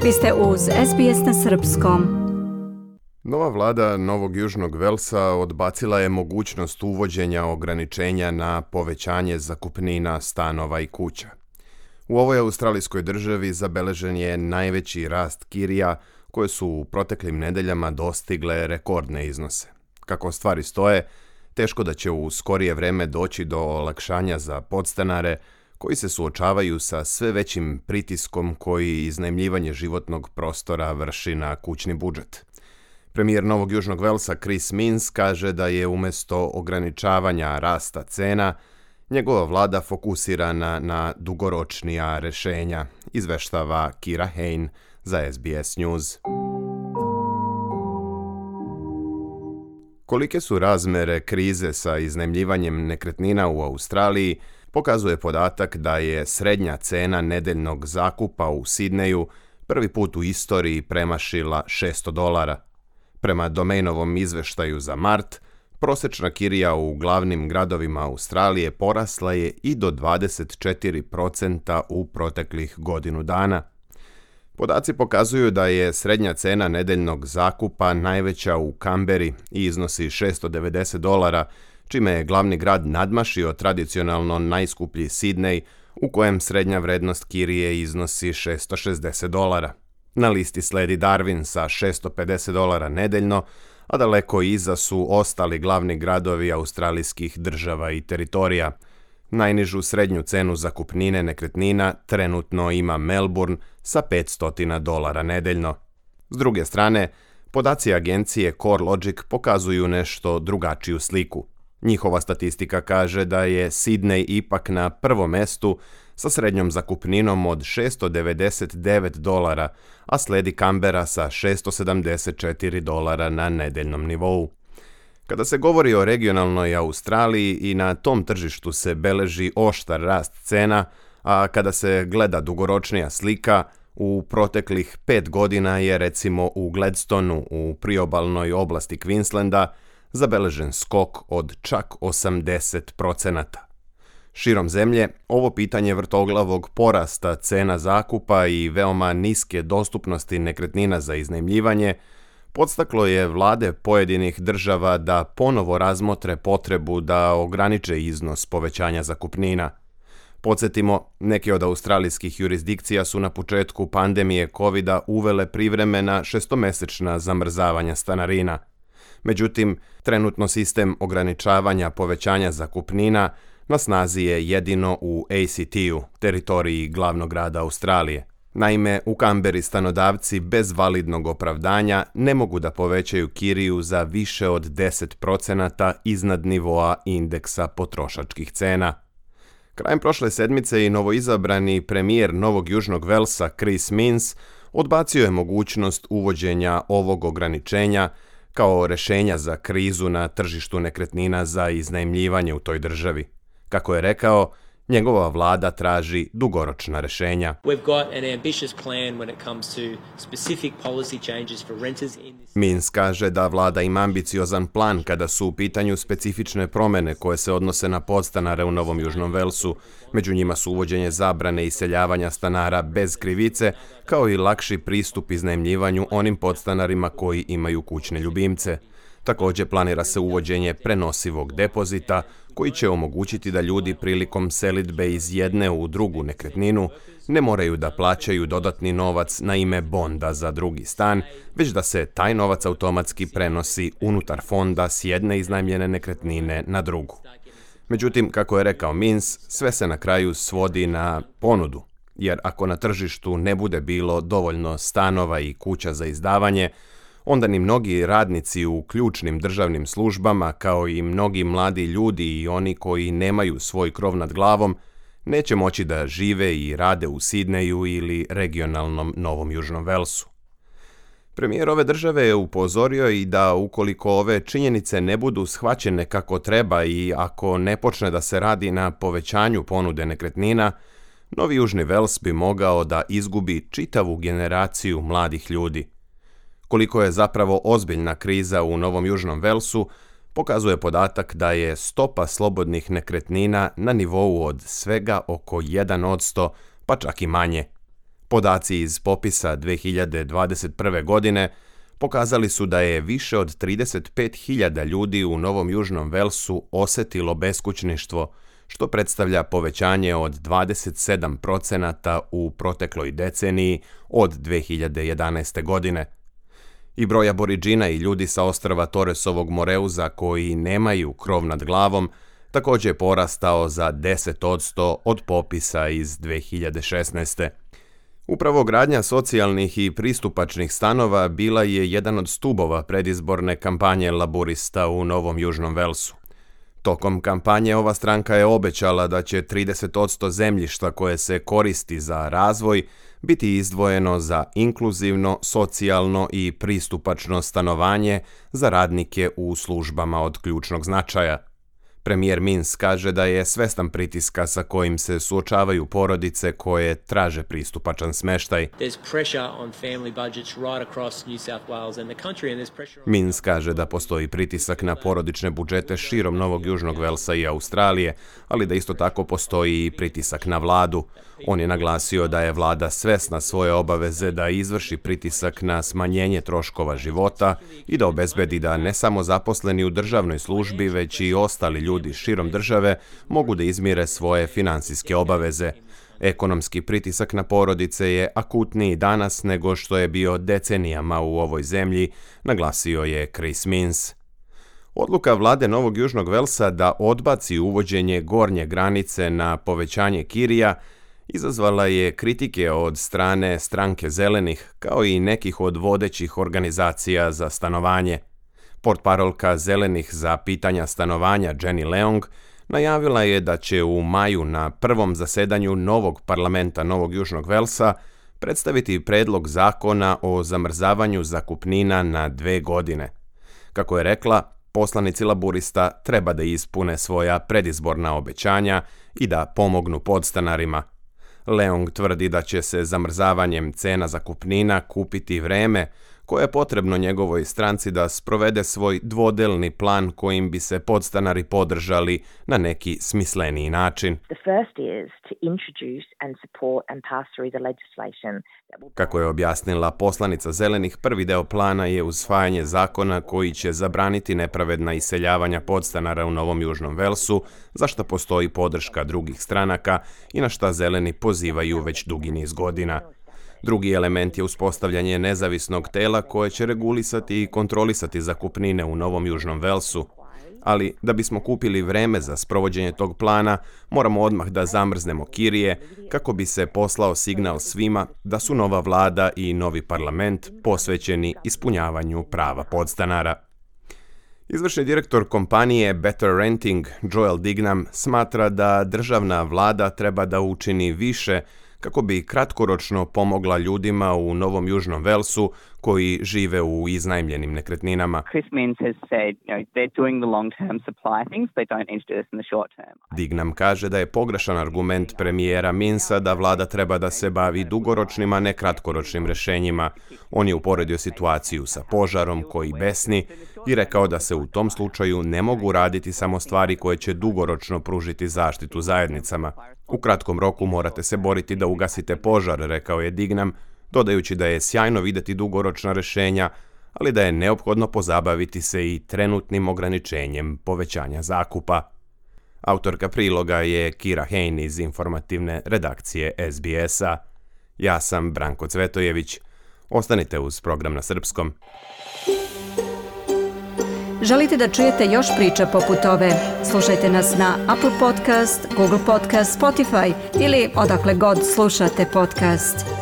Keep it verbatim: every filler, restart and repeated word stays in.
Vi ste uz S B S na srpskom. Nova vlada Novog Južnog Velsa odbacila je mogućnost uvođenja ograničenja na povećanje zakupnina stanova i kuća. U ovoj australijskoj državi zabeležen je najveći rast kirija koje su u proteklim nedeljama dostigle rekordne iznose. Kako stvari stoje, teško da će u skorije vreme doći do olakšanja za podstanare koji se suočavaju sa sve većim pritiskom koji iznajmljivanje životnog prostora vrši na kućni budžet. Premijer Novog Južnog Velsa Chris Minns kaže da je umjesto ograničavanja rasta cena, njegova vlada fokusirana na dugoročnija rješenja, izveštava Kira Hain za S B S News. Kolike su razmere krize sa iznajmljivanjem nekretnina u Australiji, pokazuje podatak da je srednja cena nedeljnog zakupa u Sidneju prvi put u istoriji premašila šesto dolara. Prema Domainovom izveštaju za mart, prosječna kirija u glavnim gradovima Australije porasla je i do dvadeset četiri posto u proteklih godinu dana. Podaci pokazuju da je srednja cena nedeljnog zakupa najveća u Kamberi i iznosi šesto devedeset dolara, čime je glavni grad nadmašio tradicionalno najskuplji Sidney, u kojem srednja vrednost kirije iznosi šesto šezdeset dolara. Na listi sledi Darwin sa šesto pedeset dolara nedeljno, a daleko iza su ostali glavni gradovi australijskih država i teritorija. Najnižu srednju cenu zakupnine nekretnina trenutno ima Melbourne sa petsto dolara nedeljno. S druge strane, podaci agencije CoreLogic pokazuju nešto drugačiju sliku. Njihova statistika kaže da je Sidney ipak na prvom mestu sa srednjom zakupninom od šesto devedeset devet dolara, a sledi Kambera sa šesto sedamdeset četiri dolara na nedeljnom nivou. Kada se govori o regionalnoj Australiji, i na tom tržištu se beleži oštar rast cena, a kada se gleda dugoročnija slika, u proteklih pet godina je recimo u Gladstonu u priobalnoj oblasti Queenslanda zabeležen skok od čak osamdeset posto. Širom zemlje, ovo pitanje vrtoglavog porasta cena zakupa i veoma niske dostupnosti nekretnina za iznajmljivanje podstaklo je vlade pojedinih država da ponovo razmotre potrebu da ograniče iznos povećanja zakupnina. Podsjetimo, neke od australijskih jurisdikcija su na početku pandemije kovida uvele privremena šestomesečna zamrzavanja stanarina. Međutim, trenutno sistem ograničavanja povećanja zakupnina na snazi je jedino u A C T-u, teritoriji glavnog grada Australije. Naime, u Kamberi stanodavci bez validnog opravdanja ne mogu da povećaju kiriju za više od deset posto iznad nivoa indeksa potrošačkih cena. Krajem prošle sedmice i novoizabrani premijer Novog Južnog Velsa Chris Minns odbacio je mogućnost uvođenja ovog ograničenja kao rješenja za krizu na tržištu nekretnina za iznajmljivanje u toj državi. Kako je rekao, njegova vlada traži dugoročna rješenja. Minns kaže da vlada ima ambiciozan plan kada su u pitanju specifične promjene koje se odnose na podstanare u Novom Južnom Velsu. Među njima su uvođenje zabrane iseljavanja stanara bez krivice, kao i lakši pristup iznajmljivanju onim podstanarima koji imaju kućne ljubimce. Također planira se uvođenje prenosivog depozita koji će omogućiti da ljudi prilikom selidbe iz jedne u drugu nekretninu ne moraju da plaćaju dodatni novac na ime bonda za drugi stan, već da se taj novac automatski prenosi unutar fonda s jedne iznajmljene nekretnine na drugu. Međutim, kako je rekao Minns, sve se na kraju svodi na ponudu, jer ako na tržištu ne bude bilo dovoljno stanova i kuća za izdavanje, onda ni mnogi radnici u ključnim državnim službama, kao i mnogi mladi ljudi i oni koji nemaju svoj krov nad glavom, neće moći da žive i rade u Sidneju ili regionalnom Novom Južnom Velsu. Premijer ove države je upozorio i da ukoliko ove činjenice ne budu shvaćene kako treba i ako ne počne da se radi na povećanju ponude nekretnina, Novi Južni Vels bi mogao da izgubi čitavu generaciju mladih ljudi. Koliko je zapravo ozbiljna kriza u Novom Južnom Velsu, pokazuje podatak da je stopa slobodnih nekretnina na nivou od svega oko jedan posto, pa čak i manje. Podaci iz popisa dve hiljade dvadeset prve. godine pokazali su da je više od trideset pet hiljada ljudi u Novom Južnom Velsu osjetilo beskućništvo, što predstavlja povećanje od dvadeset sedam procenata u protekloj deceniji od dve hiljade jedanaeste. godine. I broj Aboridžina i ljudi sa ostrva Torresovog Moreuza koji nemaju krov nad glavom također je porastao za deset posto od popisa iz dve hiljade šesnaeste. Upravo gradnja socijalnih i pristupačnih stanova bila je jedan od stubova predizborne kampanje laburista u Novom Južnom Velsu. Tokom kampanje ova stranka je obećala da će trideset posto zemljišta koje se koristi za razvoj biti izdvojeno za inkluzivno, socijalno i pristupačno stanovanje za radnike u službama od ključnog značaja. Premijer Minns kaže da je svestan pritiska sa kojim se suočavaju porodice koje traže pristupačan smještaj. Minns kaže da postoji pritisak na porodične budžete širom Novog Južnog Velsa i Australije, ali da isto tako postoji i pritisak na vladu. On je naglasio da je vlada svesna svoje obaveze da izvrši pritisak na smanjenje troškova života i da obezbedi da ne samo zaposleni u državnoj službi, već i ostali ljudi širom države mogu da izmire svoje finansijske obaveze. Ekonomski pritisak na porodice je akutniji danas nego što je bio decenijama u ovoj zemlji, naglasio je Chris Minns. Odluka vlade Novog Južnog Velsa da odbaci uvođenje gornje granice na povećanje kirija izazvala je kritike od strane stranke Zelenih, kao i nekih od vodećih organizacija za stanovanje. Portparolka Zelenih za pitanja stanovanja Jenny Leong najavila je da će u maju na prvom zasedanju novog parlamenta Novog Južnog Velsa predstaviti predlog zakona o zamrzavanju zakupnina na dve godine. Kako je rekla, poslanici laburista treba da ispune svoja predizborna obećanja i da pomognu podstanarima. Leong tvrdi da će se zamrzavanjem cena zakupnina kupiti vreme koje je potrebno njegovoj stranci da sprovede svoj dvodelni plan kojim bi se podstanari podržali na neki smisleniji način. Kako je objasnila poslanica Zelenih, prvi deo plana je usvajanje zakona koji će zabraniti nepravedna iseljavanja podstanara u Novom Južnom Velsu, za što postoji podrška drugih stranaka i na šta Zeleni pozivaju već dugi niz godina. Drugi element je uspostavljanje nezavisnog tela koje će regulisati i kontrolisati zakupnine u Novom Južnom Velsu. Ali da bismo kupili vreme za sprovođenje tog plana, moramo odmah da zamrznemo kirije kako bi se poslao signal svima da su nova vlada i novi parlament posvećeni ispunjavanju prava podstanara. Izvršni direktor kompanije Better Renting, Joel Dignam, smatra da državna vlada treba da učini više kako bi kratkoročno pomogla ljudima u Novom Južnom Velsu koji žive u iznajmljenim nekretninama. Dignam kaže da je pogrešan argument premijera Minnsa da vlada treba da se bavi dugoročnim, a ne kratkoročnim rješenjima. On je uporedio situaciju sa požarom koji besni i rekao da se u tom slučaju ne mogu raditi samo stvari koje će dugoročno pružiti zaštitu zajednicama. U kratkom roku morate se boriti da ugasite požar, rekao je Dignam, dodajući da je sjajno vidjeti dugoročna rješenja, ali da je neophodno pozabaviti se i trenutnim ograničenjem povećanja zakupa. Autorka priloga je Kira Hain iz informativne redakcije S B S-a. Ja sam Branko Cvetojević. Ostanite uz program na srpskom. Želite da čujete još priča poput ove? Slušajte nas na Apple Podcast, Google Podcast, Spotify ili odakle god slušate podcast.